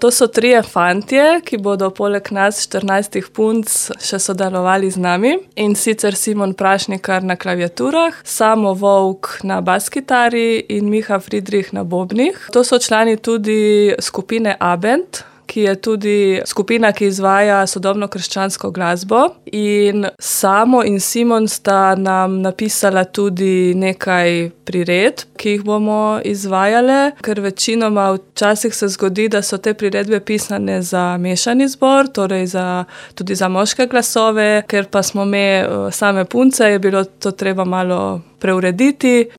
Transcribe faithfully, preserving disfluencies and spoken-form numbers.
To so trije fantje, ki bodo poleg nas štirinajstih punc še sodelovali z nami. In sicer Simon Prašnikar na klaviaturah, Samo Volk na baskitari in Miha Friedrich na bobnih. To so člani tudi skupine Abend, ki je tudi skupina, ki izvaja sodobno krščansko glasbo. In Samo in Simon sta nam napisala tudi nekaj priredb, ki jih bomo izvajale, ker večinoma včasih se zgodi, da so te priredbe pisane za mešani zbor, torej za, tudi za moške glasove, ker pa smo me same punce, je bilo to treba malo preurediti.